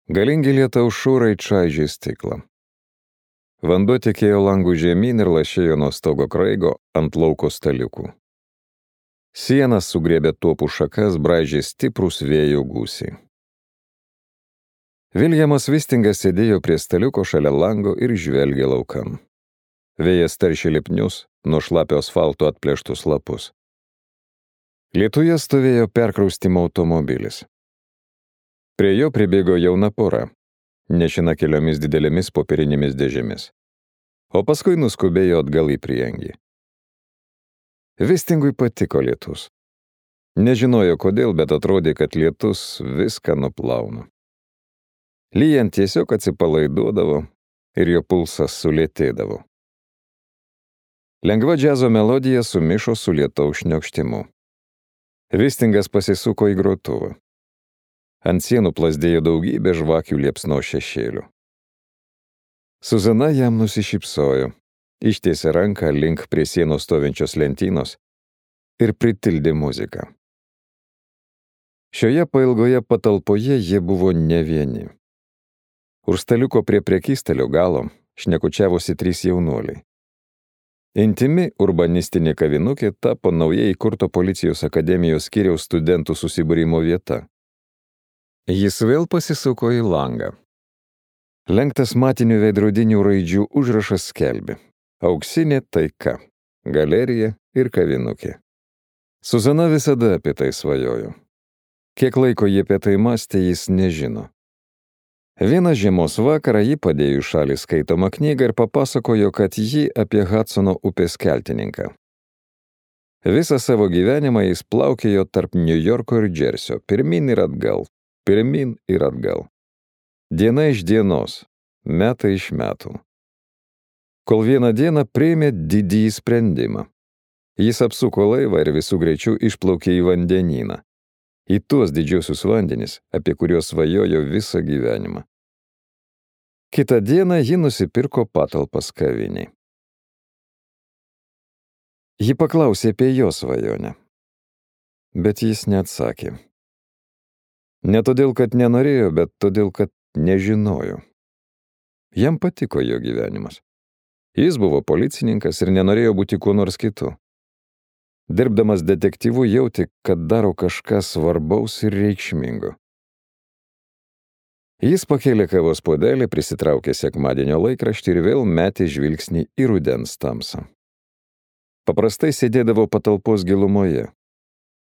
Galingi lietaus šūrai čaižė stiklą. Vanduo tekėjo langų žemyn ir lašėjo nuo stogo kraigo ant lauko staliukų. Sienas sugriebė tuopų šakas, braižė stiprūs vėjo gūsiai. Viljamas Vistingas sėdėjo prie staliuko šalia lango ir žvelgė laukan. Vėjas taršė lipnius, nuo šlapio asfalto atplėštus lapus. Lietuje stovėjo perkraustimo automobilis. Prie jo pribėgo jauna pora, nešina keliomis didelėmis popierinėmis dėžėmis, o paskui nuskubėjo atgal į priengį. Vistingui patiko lietus. Nežinojo kodėl, bet atrodė, kad lietus viską nuplauna. Lyjant tiesiog atsipalaiduodavo ir jo pulsas sulėtėdavo. Lengva džiazo melodija sumišo su lietaus šniokštimu. Vistingas pasisuko į grotuvą. Ant sienų plazdėjo daugybė žvakių liepsno šešėlių. Suzana jam nusišypsojo, ištiesė ranką link prie sienos stovinčios lentynos ir pritildė muziką. Šioje pailgoje patalpoje jie buvo ne vieni. Už staliuko prie prekystalio galo šnekučiavosi 3 jaunuoliai. Intimi urbanistinė kavinukė tapo naujai įkurto policijos akademijos skyriaus studentų susibūrimo vieta. Jis vėl pasisuko į langą. Lenktas matinių veidrodinių raidžių užrašas skelbė: Auksinė taika, galerija ir kavinukė. Suzana visada apie tai svajojo. Kiek laiko jie apie tai mąstė, jis nežino. Vieną žiemos vakarą ji padėjo į šalį skaitomą knygą ir papasakojo, kad ji apie Hudsono upės keltininką. Visą savo gyvenimą jis plaukėjo tarp Niujorko ir Džersio, pirmyn ir atgal. Diena iš dienos, metai iš metų. Kol vieną dieną priėmė didįjį sprendimą. Jis apsuko laivą ir visų greičių išplaukė į vandenyną. Į tuos didžiosius vandenis, apie kuriuos svajojo visą gyvenimą. Kitą dieną ji nusipirko patalpas kaviniai. Ji paklausė apie jo svajonę, bet jis neatsakė. Ne todėl, kad nenorėjo, bet todėl, kad nežinojo. Jam patiko jo gyvenimas. Jis buvo policininkas ir nenorėjo būti kuo nors kitu. Dirbdamas detektyvu jautė, kad daro kažką svarbaus ir reikšmingo. Jis pakėlė kavos puodelį, prisitraukė sekmadienio laikraštį ir vėl metė žvilgsnį į rudens tamsą. Paprastai sėdėdavo patalpos gilumoje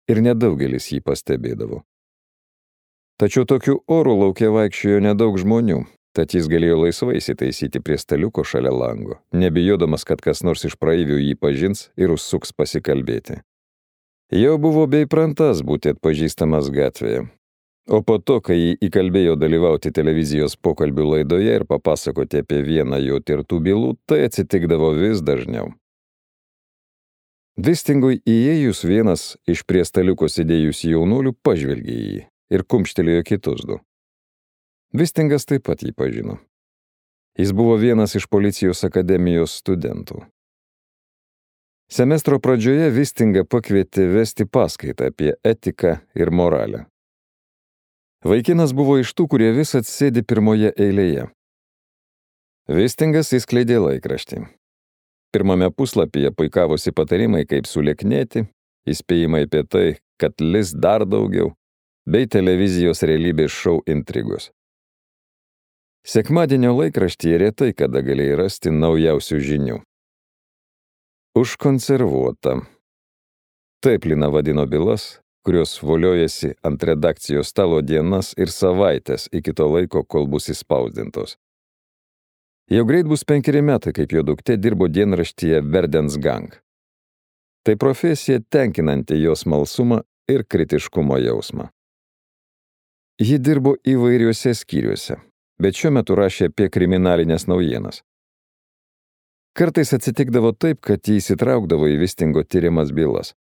ir nedaugelis jį pastebėdavo. Tačiau tokiu oru lauke vaikščiojo nedaug žmonių, tad jis galėjo laisvai įsitaisyti prie staliuko šalia lango, nebijodamas, kad kas nors iš praeivių jį pažins ir užsuks pasikalbėti. Jau buvo beįprantas būti atpažįstamas gatvėje, o po to, kai jį įkalbėjo dalyvauti televizijos pokalbių laidoje ir papasakoti apie vieną jo tirtų bylų, tai atsitikdavo vis dažniau. Vistingui įėjus vienas iš prie staliuko sėdėjusių jaunuolių pažvelgė į jį ir kumštelėjo kitus 2. Vistingas taip pat jį pažino. Jis buvo vienas iš policijos akademijos studentų. Semestro pradžioje Vistingą pakvietė vesti paskaitą apie etiką ir moralę. Vaikinas buvo iš tų, kurie visad sėdi pirmoje eilėje. Vistingas įskleidė laikraštį. Pirmame puslapyje puikavosi patarimai, kaip sulieknėti, įspėjimai apie tai, kad lis dar daugiau, bei televizijos realybės šou intrigos. Sekmadienio laikraštyje retai kada galėjai rasti naujausių žinių. Užkonservuota. Taip Lina vadino bylas, kurios voliojasi ant redakcijos stalo dienas ir savaitės iki to laiko, kol bus įspausdintos. Jau greit bus 5 metai, kaip jo duktė dirbo dienraštyje Verdens Gang. Tai profesija tenkinanti jo smalsumą ir kritiškumo jausmą. Ji dirbo įvairiuose skyriuose, bet šiuo metu rašė apie kriminalinės naujienas. Kartais atsitikdavo taip, kad jį įsitraukdavo į Vistingo tyrimas bylas.